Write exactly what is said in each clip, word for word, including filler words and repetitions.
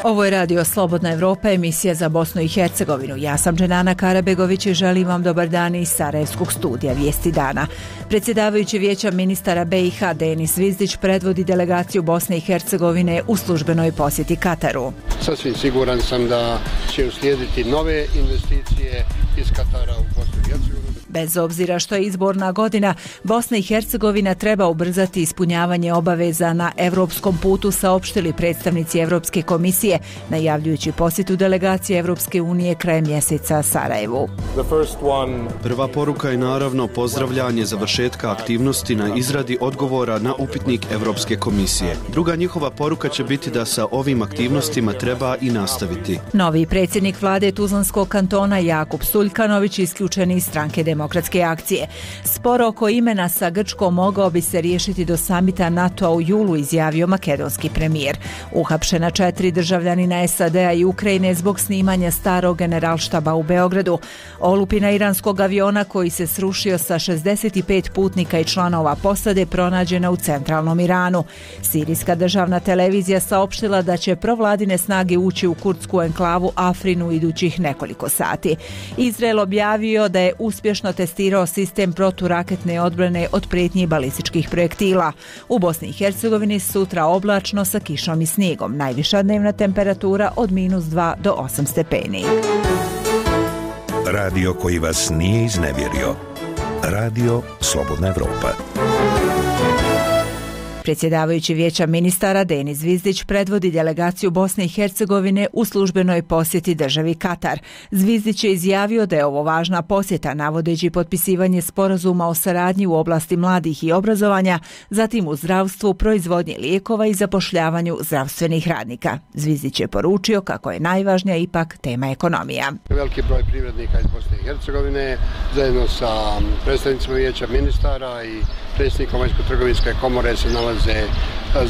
Ovo je Radio Slobodna Evropa, emisija za Bosnu i Hercegovinu. Ja sam Dženana Karabegović i želim vam dobar dan iz Sarajevskog studija Vijesti dana. Predsjedavajući Vijeća ministara B i H Denis Zvizdić predvodi delegaciju Bosne i Hercegovine u službenoj posjeti Kataru. Sasvim siguran sam da će uslijediti nove investicije iz Katara u Bosnu i Hercegovinu. Bez obzira što je izborna godina, Bosna i Hercegovina treba ubrzati ispunjavanje obaveza na evropskom putu, saopštili predstavnici Evropske komisije, najavljujući posjetu delegacije Evropske unije krajem mjeseca Sarajevu. Prva poruka je naravno pozdravljanje završetka aktivnosti na izradi odgovora na upitnik Evropske komisije. Druga njihova poruka će biti da sa ovim aktivnostima treba i nastaviti. Novi predsjednik vlade Tuzlanskog kantona Jakub Suljkanović isključen iz stranke Demokratske akcije. Spor oko imena sa Grčkom mogao bi se riješiti do samita NATO-a u julu, izjavio makedonski premijer. Uhapšena četiri državljanina S A D-a i Ukrajine zbog snimanja starog generalštaba u Beogradu. Olupina iranskog aviona koji se srušio sa šezdeset pet putnika i članova posade pronađena u centralnom Iranu. Sirijska državna televizija saopštila da će provladine snage ući u kurdsku enklavu Afrinu idućih nekoliko sati. Izrael objavio da je uspješno testirao sistem proturaketne odbrane od prijetnji balističkih projektila. U Bosni i Hercegovini sutra oblačno sa kišom i snijegom. Najviša dnevna temperatura od minus dva do osam stepeni. Radio koji vas nije iznevjerio. Radio Slobodna Evropa. Predsjedavajući Vijeća ministara Denis Zvizdić predvodi delegaciju Bosne i Hercegovine u službenoj posjeti državi Katar. Zvizdić je izjavio da je ovo važna posjeta, navodeći potpisivanje sporazuma o saradnji u oblasti mladih i obrazovanja, zatim u zdravstvu, proizvodnji lijekova i zapošljavanju zdravstvenih radnika. Zvizdić je poručio kako je najvažnija ipak tema ekonomija. Veliki broj privrednika iz Bosne i Hercegovine zajedno sa predstavnicima Vijeća ministara i predsjednikom Vanjsko-trgovinske komore se nalaze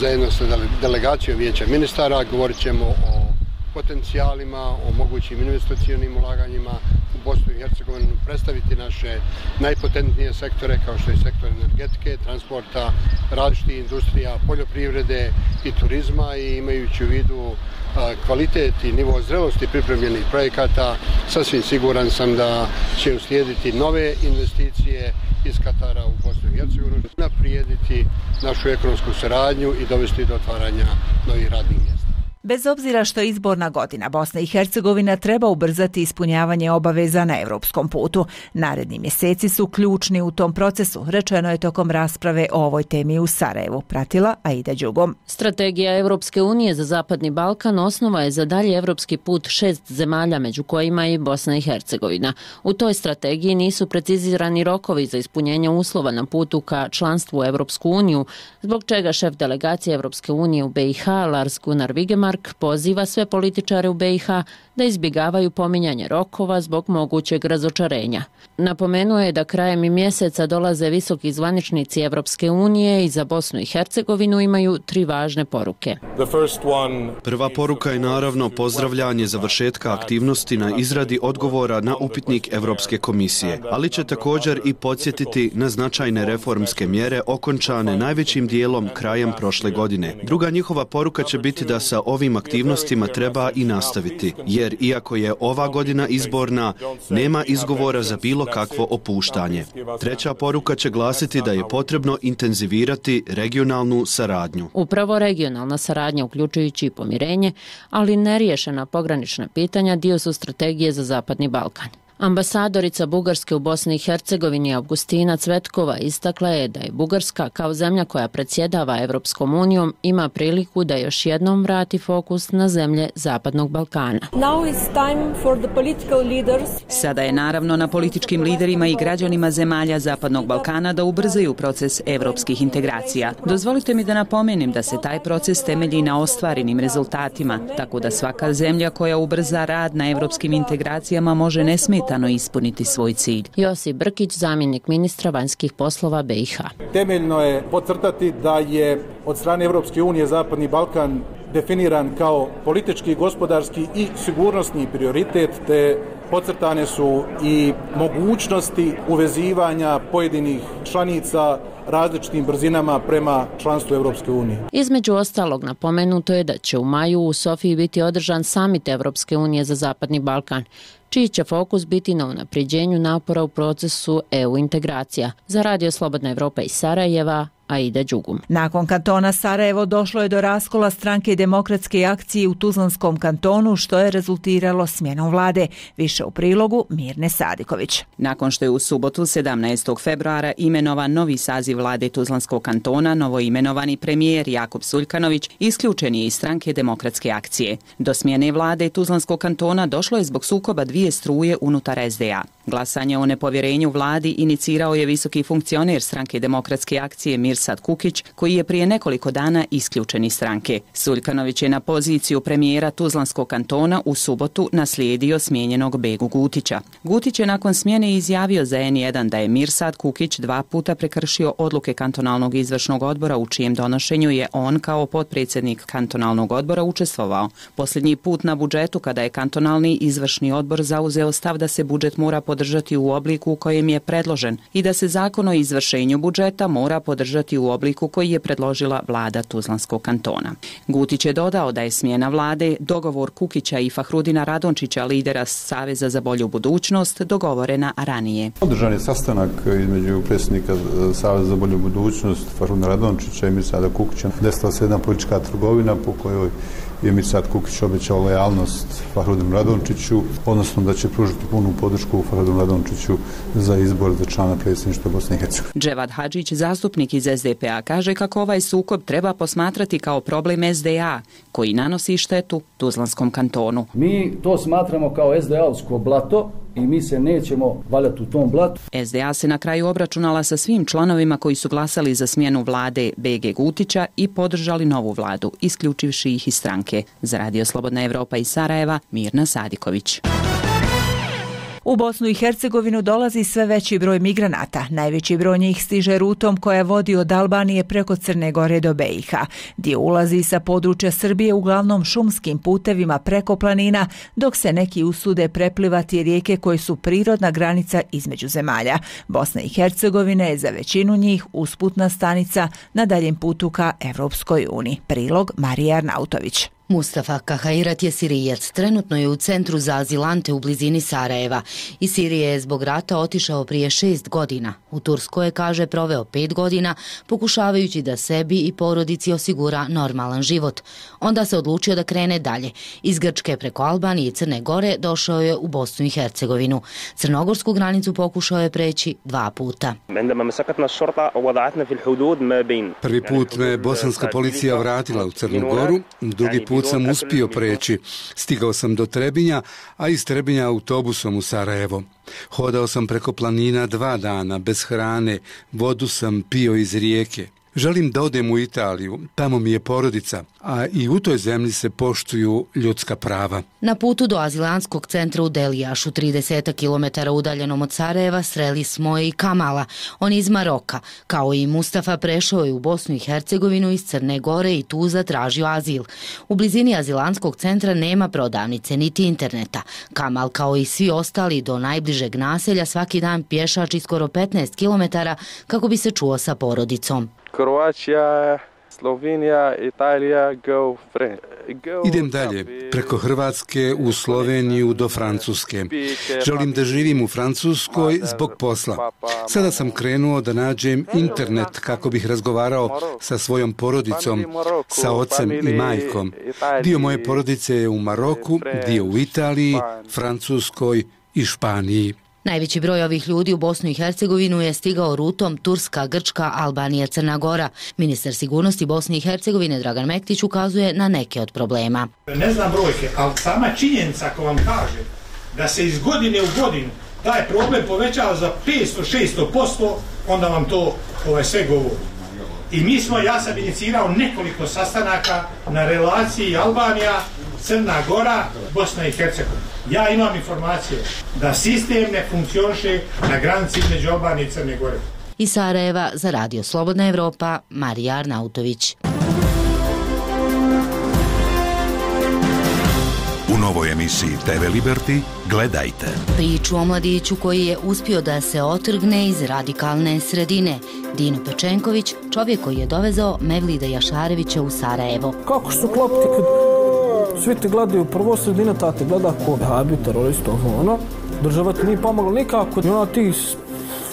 zajedno sa delegacijom Vijeća ministara. Govorit ćemo o potencijalima, o mogućim investicionim ulaganjima u Bosnu i Hercegovinu, predstaviti naše najpotentnije sektore kao što je sektor energetike, transporta, različitih industrija, poljoprivrede i turizma, i imajući u vidu kvalitet i nivo zrelosti pripremljenih projekata, sasvim siguran sam da će uslijediti nove investicije iz Katara u Bosnu i Hercegovinu, naprijediti našu ekonomsku saradnju i dovesti do otvaranja novih radnih mjesta. Bez obzira što je izborna godina, Bosna i Hercegovina treba ubrzati ispunjavanje obaveza na evropskom putu. Naredni mjeseci su ključni u tom procesu, rečeno je tokom rasprave o ovoj temi u Sarajevu. Pratila Aida Đugom. Strategija Evropske unije za Zapadni Balkan osnova je za dalji evropski put šest zemalja, među kojima i Bosna i Hercegovina. U toj strategiji nisu precizirani rokovi za ispunjenje uslova na putu ka članstvu u Evropsku uniju, zbog čega šef delegacije Evropske unije u B i H Lars Gunnar Vigemark poziva sve političare u B i H da izbjegavaju pominjanje rokova zbog mogućeg razočarenja. Napomenuo je da krajem mjeseca dolaze visoki zvaničnici Evropske unije i za Bosnu i Hercegovinu imaju tri važne poruke. Prva poruka je naravno pozdravljanje završetka aktivnosti na izradi odgovora na upitnik Evropske komisije, ali će također i podsjetiti na značajne reformske mjere okončane najvećim dijelom krajem prošle godine. Druga njihova poruka će biti da sa ovim aktivnostima treba i nastaviti, jer iako je ova godina izborna, nema izgovora za bilo kakvo opuštanje. Treća poruka će glasiti da je potrebno intenzivirati regionalnu saradnju. Upravo regionalna saradnja, uključujući i pomirenje, ali neriješena pogranična pitanja, dio su strategije za Zapadni Balkan. Ambasadorica Bugarske u Bosni i Hercegovini Avgustina Cvetkova istakla je da je Bugarska kao zemlja koja predsjedava Evropskom unijom ima priliku da još jednom vrati fokus na zemlje Zapadnog Balkana. Sada je naravno na političkim liderima i građanima zemalja Zapadnog Balkana da ubrzaju proces evropskih integracija. Dozvolite mi da napomenem da se taj proces temelji na ostvarenim rezultatima, tako da svaka zemlja koja ubrza rad na evropskim integracijama može nesmetano ispuniti svoj cilj. Josip Brkić, zamjenik ministra vanjskih poslova B i H. Temeljno je podcrtati da je od strane Evropske unije Zapadni Balkan definiran kao politički, gospodarski i sigurnosni prioritet, te Podcrtane su i mogućnosti uvezivanja pojedinih članica različitim brzinama prema članstvu Evropske unije. Između ostalog, napomenuto je da će u maju u Sofiji biti održan samit Evropske unije za Zapadni Balkan, čiji će fokus biti na unapređenju napora u procesu E U integracija. Za Radio Slobodna Evropa iz Sarajeva, Aida Đugum. Nakon kantona Sarajevo došlo je do raskola stranke Demokratske akcije u Tuzlanskom kantonu, što je rezultiralo smjenom vlade. Više u prilogu Mirne Sadiković. Nakon što je u subotu sedamnaestog februara imenovan novi saziv vlade Tuzlanskog kantona, novoimenovani premijer Jakub Suljkanović isključen je iz stranke Demokratske akcije. Do smjene vlade Tuzlanskog kantona došlo je zbog sukoba dvije struje unutar S D A. Glasanje o nepovjerenju vladi inicirao je visoki funkcioner stranke Demokratske akcije Mirsad Kukić, koji je prije nekoliko dana isključen iz stranke. Suljkanović je na poziciju premijera Tuzlanskog kantona u subotu naslijedio smijenjenog Begu Gutića. Gutić je nakon smjene izjavio za N jedan da je Mirsad Kukić dva puta prekršio odluke kantonalnog izvršnog odbora u čijem donošenju je on kao potpredsjednik kantonalnog odbora učestvovao. Posljednji put na budžetu kada je kantonalni izvršni odbor zauzeo stav da se budžet mora podržati u obliku u kojem je predložen i da se zakon o izvršenju budžeta mora podržati u obliku koji je predložila vlada Tuzlanskog kantona. Gutić je dodao da je smjena vlade, dogovor Kukića i Fahrudina Radončića, lidera Saveza za bolju budućnost, dogovorena ranije. Održan je sastanak između predsjednika Saveza za bolju budućnost Fahrudina Radončića i Mirsada Kukića. Desila se jedna politička trgovina po kojoj je Mirsad Kukić obećao lojalnost Fahrudinu Radončiću, odnosno da će pružiti punu podršku Fahrudinu Radončiću za izbor za člana predsjedništva Bosne i Hercegovine. Dževad Hadžić, zastupnik iz S D P A, kaže kako ovaj sukob treba posmatrati kao problem S D A koji nanosi štetu Tuzlanskom kantonu. Mi to smatramo kao S D A-ovsko blato i mi se nećemo valjati u tom blatu. S D A se na kraju obračunala sa svim članovima koji su glasali za smjenu vlade B G Gutića i podržali novu vladu, isključivši ih iz stranke. Za Radio Slobodna Evropa iz Sarajeva, Mirna Sadiković. U Bosnu i Hercegovinu dolazi sve veći broj migranata. Najveći broj njih stiže rutom koja vodi od Albanije preko Crne Gore do B i H. Dio ulazi sa područja Srbije uglavnom šumskim putevima preko planina, dok se neki usude preplivati rijeke koje su prirodna granica između zemalja. Bosna i Hercegovina je za većinu njih usputna stanica na daljem putu ka Evropskoj uniji. Prilog Marija Arnautović. Mustafa Kahairat je Sirijac, trenutno je u centru za azilante u blizini Sarajeva. Iz Sirije je zbog rata otišao prije šest godina. U Turskoj je, kaže, proveo pet godina, pokušavajući da sebi i porodici osigura normalan život. Onda se odlučio da krene dalje. Iz Grčke preko Albanije i Crne Gore došao je u Bosnu i Hercegovinu. Crnogorsku granicu pokušao je preći dva puta. Prvi put me bosanska policija vratila u Crnu Goru, drugi put sam uspio preći. Stigao sam do Trebinja, a iz Trebinja autobusom u Sarajevo. Hodao sam preko planina dva dana, bez hrane, vodu sam pio iz rijeke. Želim da odem u Italiju, tamo mi je porodica, a i u toj zemlji se poštuju ljudska prava. Na putu do azilantskog centra u Delijašu, trideset kilometara udaljenom od Sarajeva, sreli smo i Kamala. On iz Maroka. Kao i Mustafa, prešao je u Bosnu i Hercegovinu iz Crne Gore i tu zatražio azil. U blizini azilantskog centra nema prodavnice niti interneta. Kamal, kao i svi ostali, do najbližeg naselja svaki dan pješači skoro petnaest kilometara kako bi se čuo sa porodicom. Kroacija, Slovenija, Italija, go friend. Idem dalje, preko Hrvatske u Sloveniju do Francuske. Želim da živim u Francuskoj zbog posla. Sada sam krenuo da nađem internet kako bih razgovarao sa svojom porodicom, sa ocem i majkom. Dio moje porodice je u Maroku, dio u Italiji, Francuskoj i Španiji. Najveći broj ovih ljudi u Bosnu i Hercegovinu je stigao rutom Turska, Grčka, Albanija, Crna Gora. Ministar sigurnosti Bosne i Hercegovine Dragan Mektić ukazuje na neke od problema. Ne znam brojke, ali sama činjenica ako vam kaže da se iz godine u godinu taj problem povećava za petsto do šesto posto, onda vam to ovaj, sve govori. I mi smo, ja sam inicirao nekoliko sastanaka na relaciji Albanija, Crna Gora, Bosna i Hercegovina. Ja imam informacije da sistem ne funkcioniše na granici između Albanije i Crne Gore. Iz Sarajeva za Radio Slobodna Evropa, Marija Arnautović. U novoj emisiji te ve Liberty gledajte priču o mladiću koji je uspio da se otrgne iz radikalne sredine. Dino Pečenković, čovjek koji je dovezao Mevlida Jašarevića u Sarajevo. Kako su klopiti kad svi te gledaju prvo sredina, ta te gleda ko habi, terorista, ono. Država ti nije pomogla nikako, i ona ti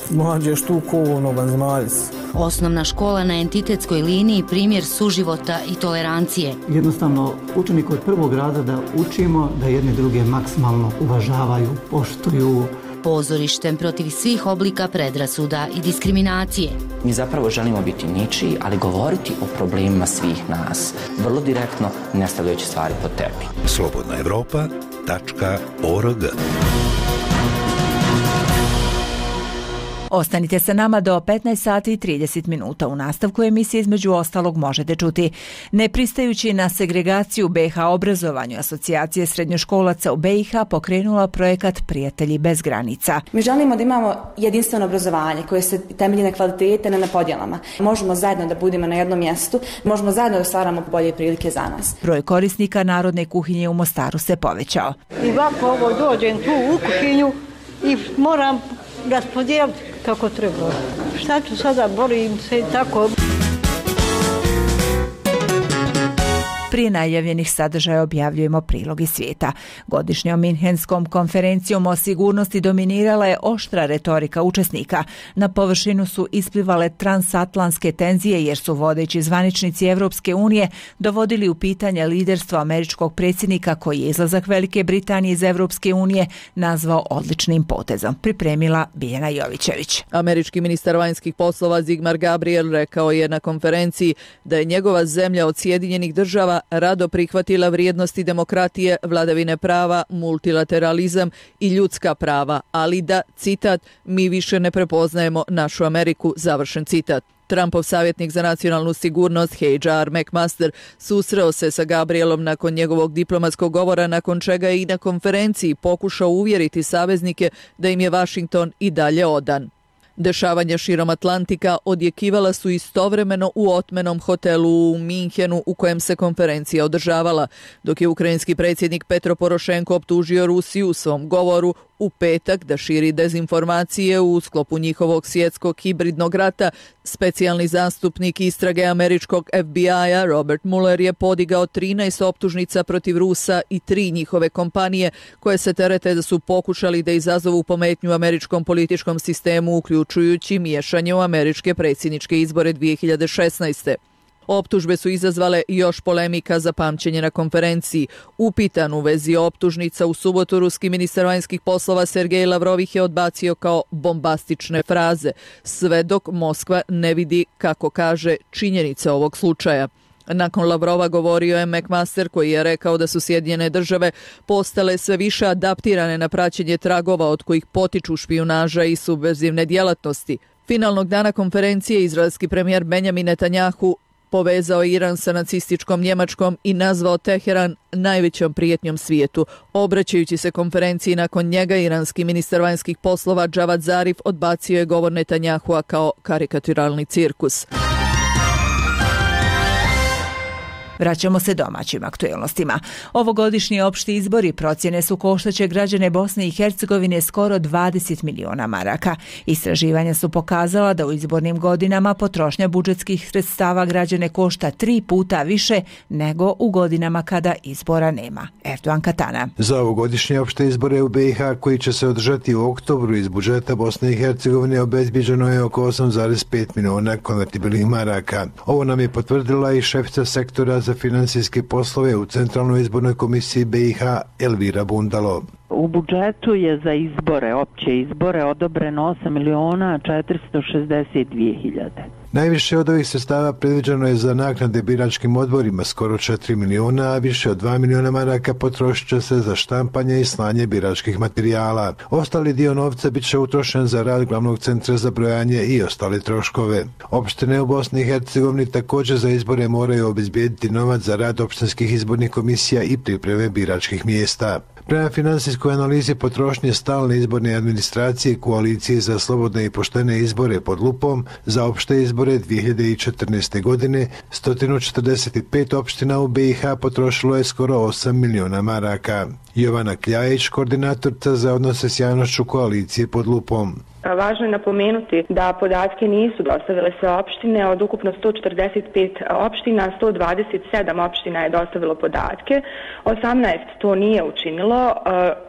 mlađeš tu ko ono vanzemaljac. Osnovna škola na entitetskoj liniji primjer suživota i tolerancije. Jednostavno, učenik od prvog razreda učimo da jedne druge maksimalno uvažavaju, poštuju. Pozorištem protiv svih oblika predrasuda i diskriminacije. Mi zapravo želimo biti ničiji, ali govoriti o problemima svih nas. Vrlo direktno, ne stavljajući stvari pod tepih. slobodna evropa tačka org. Ostanite sa nama do petnaest sati i trideset minuta. U nastavku emisije između ostalog možete čuti: ne pristajući na segregaciju be ha obrazovanju, Asocijacije srednjoškolaca u be i ha pokrenula projekat Prijatelji bez granica. Mi želimo da imamo jedinstveno obrazovanje koje se temelji na kvalitete, ne na podjelama. Možemo zajedno da budemo na jednom mjestu, možemo zajedno da stvaramo bolje prilike za nas. Broj korisnika narodne kuhinje u Mostaru se povećao. I ovako ovo dođem tu u kuhinju i moram raspodijeliti kako treba. Šta ću sada, borim se i tako. Prije najavljenih sadržaja objavljujemo prilog iz svijeta. Godišnjom Minhenskom konferencijom o sigurnosti dominirala je oštra retorika učesnika. Na površinu su isplivale transatlantske tenzije jer su vodeći zvaničnici Evropske unije dovodili u pitanje liderstvo američkog predsjednika koji je izlazak Velike Britanije iz Evropske unije nazvao odličnim potezom. Pripremila Biljana Jovićević. Američki ministar vanjskih poslova Zigmar Gabriel rekao je na konferenciji da je njegova zemlja od Sjedinjenih država rado prihvatila vrijednosti demokratije, vladavine prava, multilateralizam i ljudska prava, ali da, citat, mi više ne prepoznajemo našu Ameriku, završen citat. Trumpov savjetnik za nacionalnu sigurnost H R McMaster susreo se sa Gabrielom nakon njegovog diplomatskog govora, nakon čega je i na konferenciji pokušao uvjeriti saveznike da im je Washington i dalje odan. Dešavanja širom Atlantika odjekivala su istovremeno u otmenom hotelu u Minhenu u kojem se konferencija održavala, dok je ukrajinski predsjednik Petro Porošenko optužio Rusiju u svom govoru u petak da širi dezinformacije u sklopu njihovog svjetskog hibridnog rata. Specijalni zastupnik istrage američkog F B I-a Robert Mueller je podigao trinaest optužnica protiv Rusa i tri njihove kompanije koje se terete da su pokušali da izazovu pometnju američkom političkom sistemu, uključujući miješanje u američke predsjedničke izbore dvije hiljade šesnaeste. Optužbe su izazvale još polemika za pamćenje na konferenciji. Upitan u vezi optužnica u subotu, ruski ministar vanjskih poslova Sergej Lavrov ih je odbacio kao bombastične fraze, sve dok Moskva ne vidi, kako kaže, činjenice ovog slučaja. Nakon Lavrova govorio je McMaster koji je rekao da su Sjedinjene države postale sve više adaptirane na praćenje tragova od kojih potiču špijunaža i subverzivne djelatnosti. Finalnog dana konferencije izraelski premijer Benjamin Netanjahu povezao Iran sa nacističkom Njemačkom i nazvao Teheran najvećom prijetnjom svijetu. Obraćajući se konferenciji nakon njega, iranski ministar vanjskih poslova Javad Zarif odbacio je govor Netanjahua kao karikaturalni cirkus. Vraćamo se domaćim aktuelnostima. Ovogodišnji opšti izbori procjene su koštaće građane Bosne i Hercegovine skoro dvadeset miliona maraka. Istraživanja su pokazala da u izbornim godinama potrošnja budžetskih sredstava građane košta tri puta više nego u godinama kada izbora nema. Erdogan Katana. Za ovogodišnje opšte izbore u be i ha koji će se održati u oktobru iz budžeta Bosne i Hercegovine obezbiđeno je oko osam zarez pet miliona konvertibilnih maraka. Ovo nam je potvrdila i šefica sektora za finansijske poslove u Centralnoj izbornoj komisiji be i ha Elvira Bundalo. U budžetu je za izbore, opće izbore, odobreno osam miliona četiristo šezdeset dvije hiljade. Najviše od ovih sredstava predviđeno je za naknade biračkim odborima, skoro četiri miliona, a više od dva miliona maraka potrošit će se za štampanje i slanje biračkih materijala. Ostali dio novca bit će utrošen za rad glavnog centra za brojanje i ostale troškove. Opštine u Bosni i Hercegovini također za izbore moraju obezbijediti novac za rad opštinskih izbornih komisija i pripreme biračkih mjesta. Prema finansijskoj analizi potrošnje stalne izborne administracije Koalicije za slobodne i poštene izbore pod lupom za opšte izbore dvije hiljade četrnaeste. godine sto četrdeset pet opština u B i H potrošilo je skoro osam miliona maraka. Jovana Kljajić, koordinatorica za odnose s javnošću Koalicije pod lupom. Važno je napomenuti da podatke nisu dostavile sve opštine. Od ukupno sto četrdeset pet opština, sto dvadeset sedam opština je dostavilo podatke, osamnaest to nije učinilo,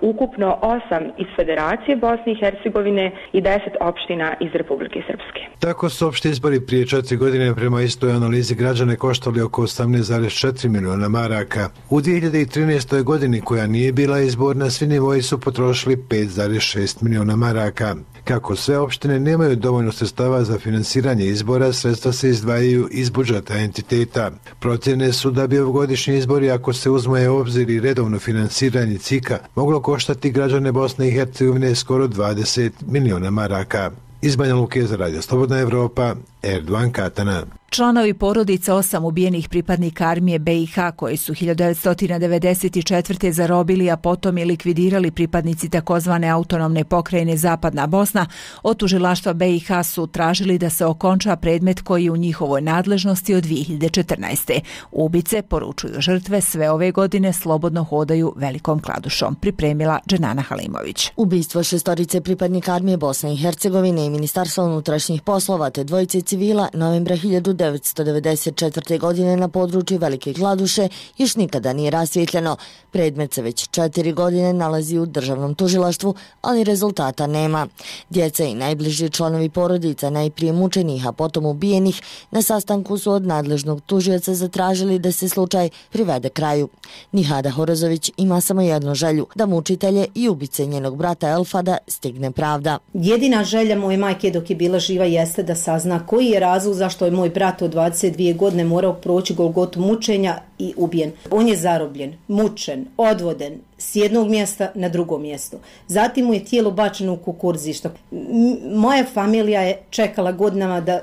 ukupno osam iz Federacije Bosne i Hercegovine i deset opština iz Republike Srpske. Tako su opšti izbori prije četiri godine prema istoj analizi građane koštali oko osamnaest zarez četiri miliona maraka. U dvije hiljade trinaestoj. godini, koja nije bila izborna, svi nivoji su potrošili pet zarez šest miliona maraka. Kako sve opštine nemaju dovoljno sredstava za finansiranje izbora, sredstva se izdvajaju iz budžeta entiteta. Procjene su da bi ovogodišnji izbori, ako se uzme u obzir i redovno finansiranje C I K-a, moglo koštati građane Bosne i Hercegovine skoro dvadeset miliona maraka. Iz Banja Luke za Radio Slobodna Evropa, Erdovan Katana. Članovi porodica osam ubijenih pripadnika armije B i H koji su hiljadu devetsto devedeset četvrte. zarobili, a potom i likvidirali pripadnici takozvane autonomne pokrajine Zapadna Bosna, od tužilaštva B i H su tražili da se okonča predmet koji je u njihovoj nadležnosti od dvije hiljade četrnaeste. Ubice, poručuju žrtve, sve ove godine slobodno hodaju Velikom Kladušom. Pripremila Dženana Halimović. Ubistvo šestorice pripadnika armije Bosne i Hercegovine i Ministarstva unutrašnjih poslova te dvojice civila novembra hiljadu devetsto devedeset četvrte. godine na području Velike Kladuše još nikada nije rasvjetljeno. Predmet se već četiri godine nalazi u državnom tužilaštvu, ali rezultata nema. Djeca i najbliži članovi porodica najprije mučenih, a potom ubijenih, na sastanku su od nadležnog tužioca zatražili da se slučaj privede kraju. Nihada Horozović ima samo jednu želju, da mučitelje i ubice njenog brata Elfada stigne pravda. Jedina želja moje majke dok je bila živa jeste da sazna koji je razlog zašto je moj brat od dvadeset dvije godine morao proći golgotu mučenja i ubijen. On je zarobljen, mučen, odvoden s jednog mjesta na drugo mjesto. Zatim mu je tijelo bačeno u kukurzište. Moja familija je čekala godinama da,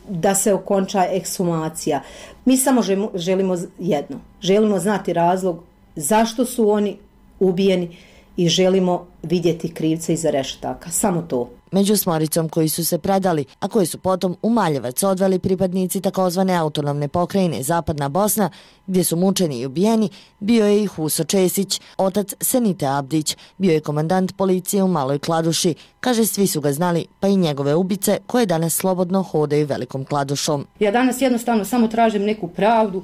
da se okonča ekshumacija. Mi samo želimo jedno. Želimo znati razlog zašto su oni ubijeni i želimo vidjeti krivca iza rešetaka. Samo to. Među smoricom koji su se predali, a koji su potom u Maljevac odveli pripadnici takozvane autonomne pokrajine Zapadna Bosna, gdje su mučeni i ubijeni, bio je i Huso Česić, otac Senite Abdić, bio je komandant policije u Maloj Kladuši. Kaže, svi su ga znali, pa i njegove ubice koje danas slobodno hodaju Velikom Kladušom. Ja danas jednostavno samo tražim neku pravdu,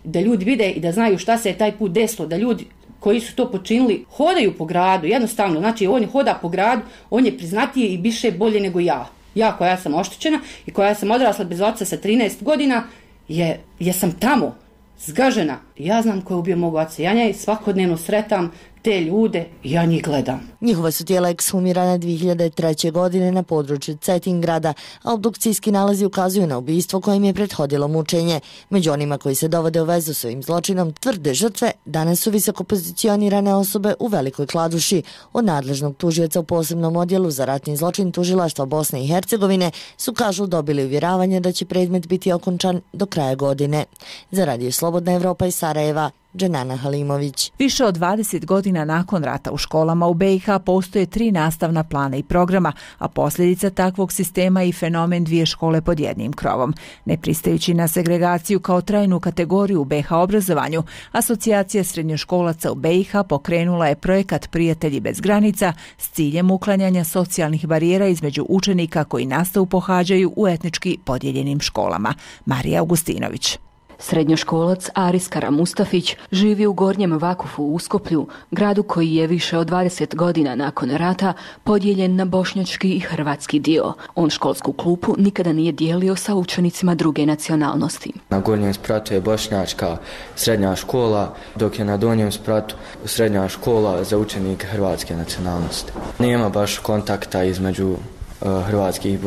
da ljudi vide i da znaju šta se je taj put desilo, da ljudi koji su to počinili hodaju po gradu, jednostavno, znači on hoda po gradu, on je priznatiji i biše bolje nego ja. Ja koja sam oštećena i koja sam odrasla bez oca sa trinaest godina, je, je sam tamo, zgažena. Ja znam ko je ubio mog oca, ja njej svakodnevno sretam te ljude i ja njih gledam. Njihova su tijela ekshumirana dvije hiljade treće. godine na području Cetingrada, a obdukcijski nalazi ukazuju na ubistvo kojem je prethodilo mučenje. Među onima koji se dovode u vezu s ovim zločinom, tvrde žrtve, danas su visoko pozicionirane osobe u Velikoj Kladuši. Od nadležnog tužioca u posebnom odjelu za ratni zločin tužilaštva Bosne i Hercegovine su, kažu, dobili uvjeravanje da će predmet biti okončan do kraja godine. Za Radio Slobodna Evropa iz Sarajeva, Dženana Halimović. Više od dvadeset godina nakon rata u školama u B i H postoje tri nastavna plana i programa, a posljedica takvog sistema je i fenomen dvije škole pod jednim krovom. Ne pristajući na segregaciju kao trajnu kategoriju u B i H obrazovanju, Asocijacija srednjoškolaca u B i H pokrenula je projekat Prijatelji bez granica s ciljem uklanjanja socijalnih barijera između učenika koji nastavu pohađaju u etnički podijeljenim školama. Marija Augustinović. Srednjoškolac Aris Kara Mustafić živi u Gornjem Vakufu u Uskoplju, gradu koji je više od dvadeset godina nakon rata podijeljen na bošnjački i hrvatski dio. On školsku klupu nikada nije dijelio sa učenicima druge nacionalnosti. Na gornjem spratu je bošnjačka srednja škola, dok je na donjem spratu srednja škola za učenike hrvatske nacionalnosti. Nema baš kontakta između hrvatskih,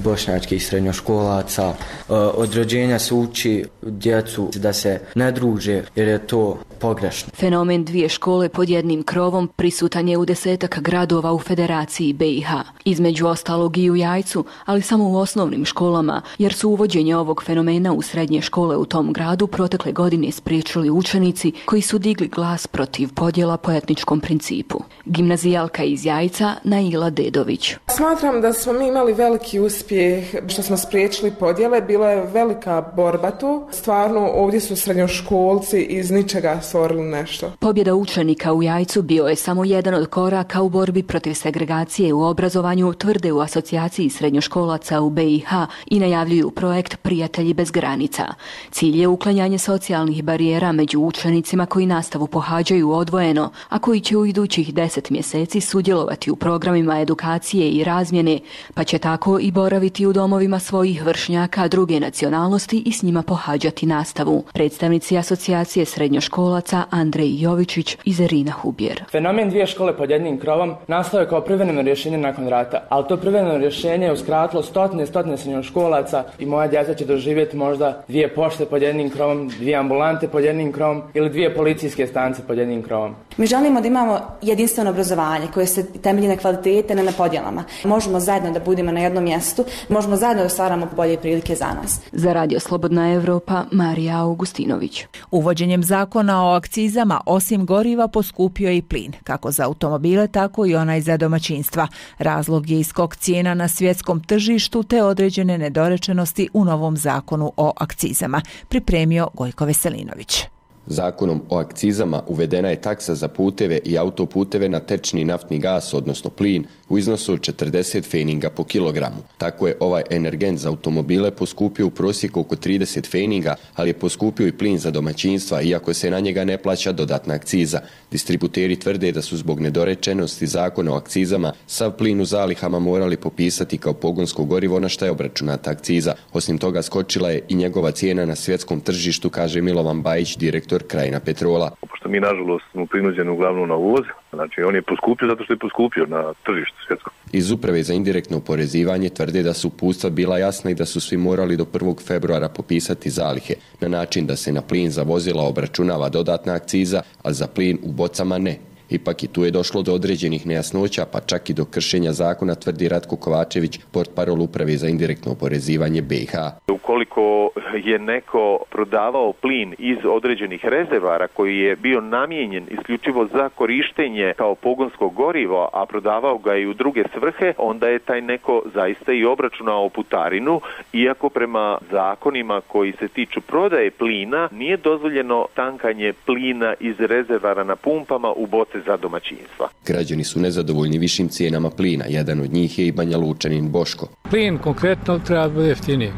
bošnjačkih srednjoškolaca. Od rođenja se uči djecu da se ne druže jer je to pogrešno. Fenomen dvije škole pod jednim krovom prisutan je u desetak gradova u Federaciji B i H. Između ostalog i u Jajcu, ali samo u osnovnim školama, jer su uvođenje ovog fenomena u srednje škole u tom gradu protekle godine spriječili učenici koji su digli glas protiv podjela po etničkom principu. Gimnazijalka iz Jajca Naila Dedović. Smatram da smo mi imali veliki uspjeh što smo spriječili podjele, bila je velika borba tu. Stvarno ovdje su srednjoškolci iz ničega stvorili nešto. Pobjeda učenika u Jajcu bio je samo jedan od koraka u borbi protiv segregacije u obrazovanju, tvrde u asocijaciji srednjoškolaca u B i H i najavljuju projekt Prijatelji bez granica. Cilj je uklanjanje socijalnih barijera među učenicima koji nastavu pohađaju odvojeno, a koji će u idućih deset mjeseci sudjelovati u programima edukacije i razmjene, pa će tako i boraviti u domovima svojih vršnjaka druge nacionalnosti i s njima pohađati nastavu. Predstavnici asocijacije srednjoškolaca Andrej Jovičić i Zerina Hubjer. Fenomen dvije škole pod jednim krovom nastao je kao privremeno rješenje nakon rata, ali to privremeno rješenje je uskratilo stotine stotine srednjoškolaca i moja djeca će doživjeti možda dvije pošte pod jednim krovom, dvije ambulante pod jednim krovom ili dvije policijske stanice pod jednim krovom. Mi želimo da imamo jedinstveno obrazovanje koje se temelji na kvalitete, ne na podjelama. Možemo zajedno da budemo na jednom mjestu, možemo zajedno da stvaramo bolje prilike za nas. Za Radio Slobodna Evropa, Marija Augustinović. Uvođenjem zakona o akcizama osim goriva poskupio je i plin, kako za automobile, tako i onaj za domaćinstva. Razlog je iskok cijena na svjetskom tržištu te određene nedorečenosti u novom zakonu o akcizama, pripremio Gojko Veselinović. Zakonom o akcizama uvedena je taksa za puteve i autoputeve na tečni naftni gas, odnosno plin, u iznosu od četrdeset feninga po kilogramu. Tako je ovaj energent za automobile poskupio u prosjeku oko trideset feninga, ali je poskupio i plin za domaćinstva, iako se na njega ne plaća dodatna akciza. Distributeri tvrde da su zbog nedorečenosti zakona o akcizama sav plin u zalihama morali popisati kao pogonsko gorivo na šta je obračunata akciza. Osim toga skočila je i njegova cijena na svjetskom tržištu, kaže Milovan Bajić, direktor Krajina Petrola. Pošto mi nažalost smo prinuđeni uglavnom na uvoz, znači on je poskupio zato što je poskupio na tržištu svjetskom. Iz Uprave za indirektno oporezivanje tvrde da su uputstva bila jasna i da su svi morali do prvog februara popisati zalihe na način da se na plin za vozila obračunava dodatna akciza, a za plin u bocama ne. Ipak i tu je došlo do određenih nejasnoća, pa čak i do kršenja zakona, tvrdi Ratko Kovačević, portparol Uprave za indirektno oporezivanje B i H. Ukoliko je neko prodavao plin iz određenih rezervara koji je bio namijenjen isključivo za korištenje kao pogonsko gorivo, a prodavao ga i u druge svrhe, onda je taj neko zaista i obračunao putarinu, iako prema zakonima koji se tiču prodaje plina nije dozvoljeno tankanje plina iz rezervara na pumpama u boce za domaćinstva. Građani su nezadovoljni višim cijenama plina. Jedan od njih je i Banja Lučanin Boško. Plin konkretno treba biti jeftiniji.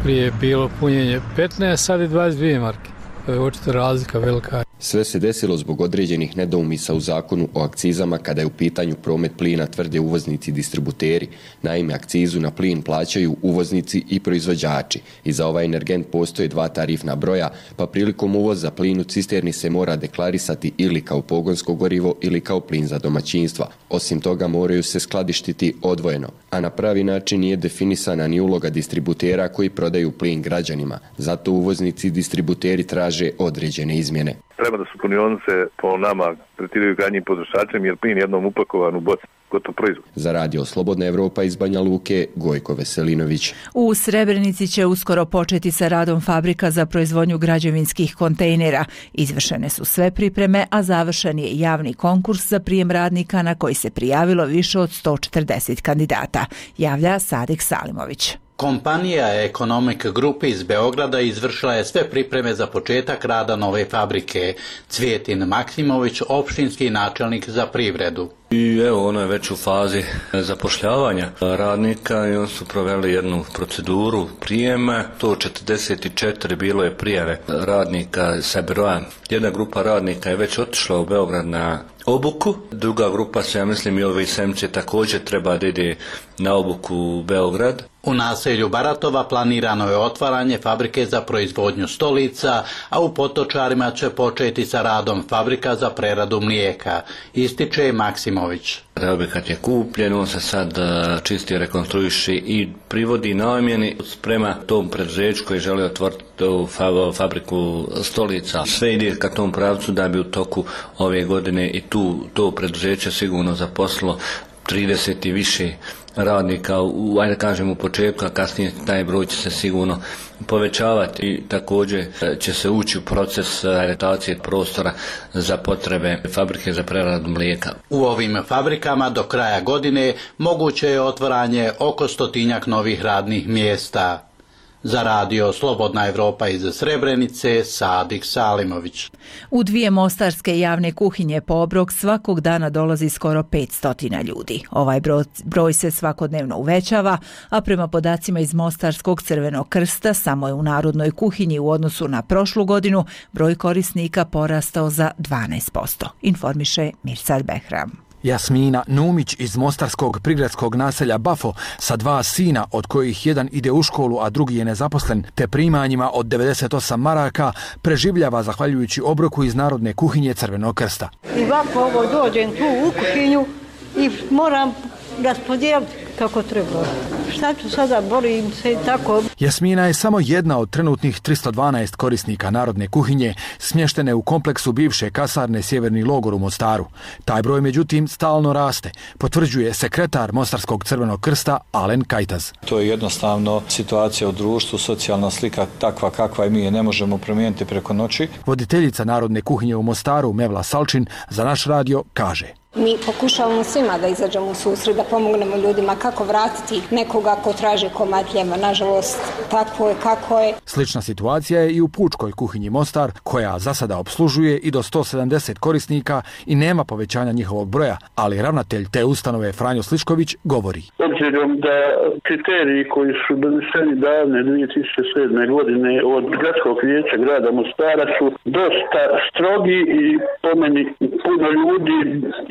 Prije je bilo punjenje petnaest, sad je dvadeset dvije marke. To je očito razlika velika. Sve se desilo zbog određenih nedoumisa u zakonu o akcizama kada je u pitanju promet plina, tvrde uvoznici i distributeri. Naime, akcizu na plin plaćaju uvoznici i proizvođači. I za ovaj energent postoje dva tarifna broja, pa prilikom uvoza plin u cisterni se mora deklarisati ili kao pogonsko gorivo ili kao plin za domaćinstva. Osim toga moraju se skladištiti odvojeno, a na pravi način nije definisana ni uloga distributera koji prodaju plin građanima. Zato uvoznici i distributeri traže određene izmjene. Treba da su punionice po nama tretiraju krajnjim potrošačem jer plin jednom upakovan u boci, gotov proizvod. Za Radio Slobodna Evropa iz Banja Luke, Gojko Veselinović. U Srebrenici će uskoro početi sa radom fabrika za proizvodnju građevinskih kontejnera. Izvršene su sve pripreme, a završen je javni konkurs za prijem radnika na koji se prijavilo više od sto četrdeset kandidata, javlja Sadek Salimović. Kompanija Economic Group iz Beograda izvršila je sve pripreme za početak rada nove fabrike. Cvijetin Maksimović, opštinski načelnik za privredu. I evo, ono je već u fazi zapošljavanja radnika i oni su proveli jednu proceduru prijema. sto četrdeset četiri bilo je prijave radnika sa broja. Jedna grupa radnika je već otišla u Beograd na obuku, druga grupa se, ja mislim, i ovi semci također treba da ide na obuku u Beograd. U naselju Baratova planirano je otvaranje fabrike za proizvodnju stolica, a u Potočarima će početi sa radom fabrika za preradu mlijeka, ističe Maksimović. Maksimović. Objekat je kupljen, on se sad čisti, rekonstruiši i privodi namjeni prema tom preduzeću koji želi otvoriti tu fabriku stolica. Sve ide ka tom pravcu da bi u toku ove godine i tu to preduzeće sigurno zaposlilo trideset i više radnika, u, ajde kažem u početku, a kasnije taj broj će se sigurno povećavati i također će se ući u proces adaptacije prostora za potrebe fabrike za preradu mlijeka. U ovim fabrikama do kraja godine moguće je otvaranje oko stotinjak novih radnih mjesta. Za radio Slobodna Evropa iz Srebrenice, Sadik Salimović. U dvije mostarske javne kuhinje po obrok svakog dana dolazi skoro petsto ljudi. Ovaj broj, broj se svakodnevno uvećava, a prema podacima iz Mostarskog Crvenog krsta samo je u narodnoj kuhinji u odnosu na prošlu godinu broj korisnika porastao za dvanaest posto, informiše Mirsad Behram. Jasmina Numić iz mostarskog prigradskog naselja Bafo sa dva sina od kojih jedan ide u školu, a drugi je nezaposlen, te primanjima od devedeset osam maraka preživljava zahvaljujući obroku iz narodne kuhinje Crvenog krsta. I ovako ovo dođem tu u kuhinju i moram raspodijeliti kako treba. Šta ću sada, borim se i tako. Jasmina je samo jedna od trenutnih tristo dvanaest korisnika narodne kuhinje smještene u kompleksu bivše kasarne Sjeverni logor u Mostaru. Taj broj međutim stalno raste, potvrđuje sekretar Mostarskog Crvenog krsta Alen Kajtaz. To je jednostavno situacija u društvu, socijalna slika takva kakva i mi je ne možemo promijeniti preko noći. Voditeljica narodne kuhinje u Mostaru Mevla Salčin za naš radio kaže: Mi pokušavamo svima da izađemo u susret, da pomognemo ljudima kako vratiti nekoga ko traži komad hljeba. Nažalost, tako je kako je. Slična situacija je i u pučkoj kuhinji Mostar, koja za sada obslužuje i do sto sedamdeset korisnika i nema povećanja njihovog broja, ali ravnatelj te ustanove Franjo Slišković govori: Obzirom da kriteriji koji su doneseni davne dvije tisuće sedme. godine od gradskog vijeća grada Mostara su dosta strogi i po meni puno ljudi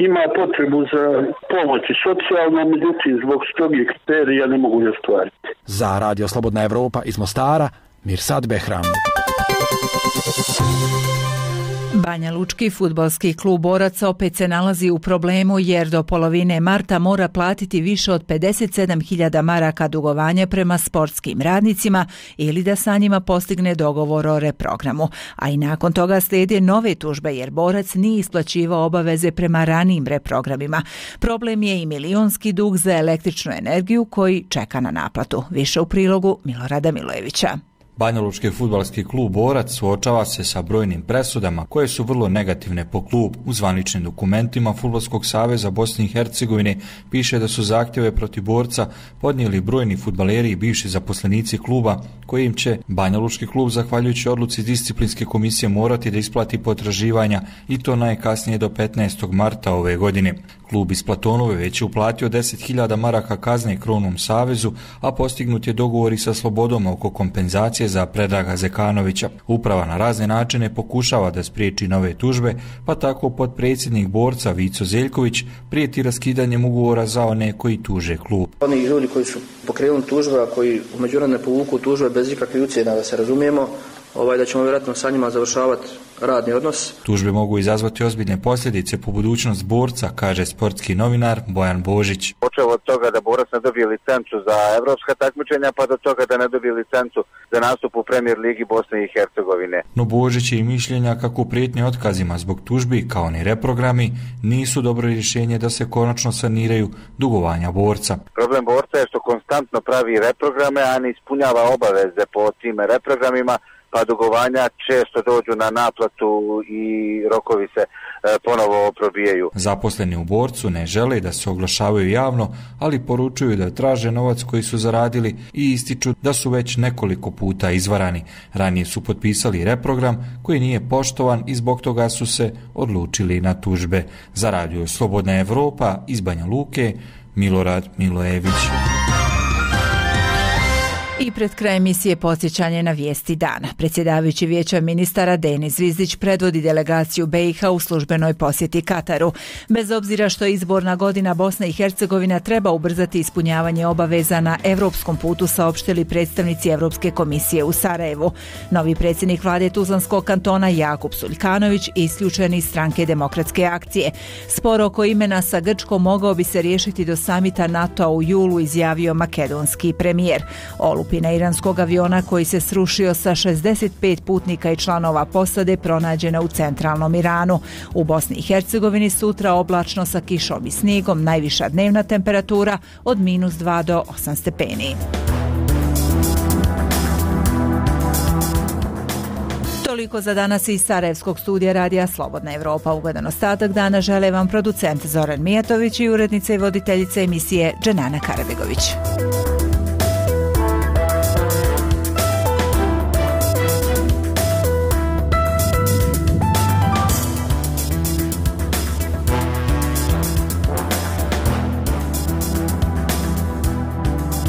ima potrebu za pomoć i socijalno, međutim zbog strogih kriterija ne mogu je ostvariti. Za radio Slobodna Evropa iz Mostara, Mirsad Behram. Banja Lučki fudbalski klub boraca opet se nalazi u problemu jer do polovine marta mora platiti više od pedeset sedam hiljada maraka dugovanja prema sportskim radnicima ili da sa njima postigne dogovor o reprogramu. A i nakon toga slijede nove tužbe jer borac nije isplaćivao obaveze prema ranijim reprogramima. Problem je i milionski dug za električnu energiju koji čeka na naplatu. Više u prilogu Milorada Milojevića. Banjalučki fudbalski klub Borac suočava se sa brojnim presudama koje su vrlo negativne po klub. U zvaničnim dokumentima Fudbalskog saveza Bosne i Hercegovine piše da su zahtjeve protiv Borca podnijeli brojni fudbaleri i bivši zaposlenici kluba, kojim će Banjalučki klub zahvaljujući odluci disciplinske komisije morati da isplati potraživanja i to najkasnije do petnaestog marta ove godine. Klub iz Platonove već je uplatio deset hiljada maraka kazne Krovnom savezu, a postignut je dogovor i sa Slobodom oko kompenzacije za Predraga Zekanovića. Uprava na razne načine pokušava da spriječi nove tužbe, pa tako potpredsjednik Borca Vico Zeljković prijeti raskidanjem ugovora za one koji tuže klub. Oni ljudi koji su pokrenuli tužbe, a koji u međunarodne povuku tužbe bez ikakvih ucjena, da se razumijemo, ovaj, da ćemo vjerojatno sa njima završavati radni odnos. Tužbe mogu izazvati ozbiljne posljedice po budućnost Borca, kaže sportski novinar Bojan Božić. Počeo od toga da Borac ne dobije licencu za evropska takmičenja, pa do toga da ne dobije licencu za nastup u Premier ligi Bosne i Hercegovine. No Božić je i mišljenja kako prijetnje otkazima zbog tužbi, kao ni reprogrami, nisu dobro rješenje da se konačno saniraju dugovanja Borca. Problem Borca je što konstantno pravi reprograme, a ne ispunjava obaveze po tim reprogramima, pa dugovanja često dođu na naplatu i rokovi se e, ponovo probijaju. Zaposleni u Borcu ne žele da se oglašavaju javno, ali poručuju da traže novac koji su zaradili i ističu da su već nekoliko puta izvarani. Ranije su potpisali reprogram koji nije poštovan i zbog toga su se odlučili na tužbe. Za radio Slobodna Evropa iz Banja Luke, Milorad Milojević. I pred kraj emisije podsjećanje na vijesti dana. Predsjedavajući Vijeća ministara Denis Zvizdić predvodi delegaciju B i H u službenoj posjeti Kataru. Bez obzira što je izborna godina, Bosna i Hercegovina treba ubrzati ispunjavanje obaveza na europskom putu, saopštili predstavnici Europske komisije u Sarajevu. Novi predsjednik vlade Tuzlanskog kantona Jakub Suljkanović isključen iz stranke Demokratske akcije. Spor oko imena sa Grčkom mogao bi se riješiti do samita NATO-a u julu, izjavio makedonski premijer. Olupina iranskog aviona koji se srušio sa šezdeset pet putnika i članova posade pronađena u centralnom Iranu. U Bosni i Hercegovini sutra oblačno sa kišom i snijegom, najviša dnevna temperatura od minus dva do osam stepeni. Toliko za danas iz Sarajevskog studija radija Slobodna Evropa. Ugodan ostatak dana žele vam producent Zoran Mijatović i urednica i voditeljica emisije Dženana Karabegović.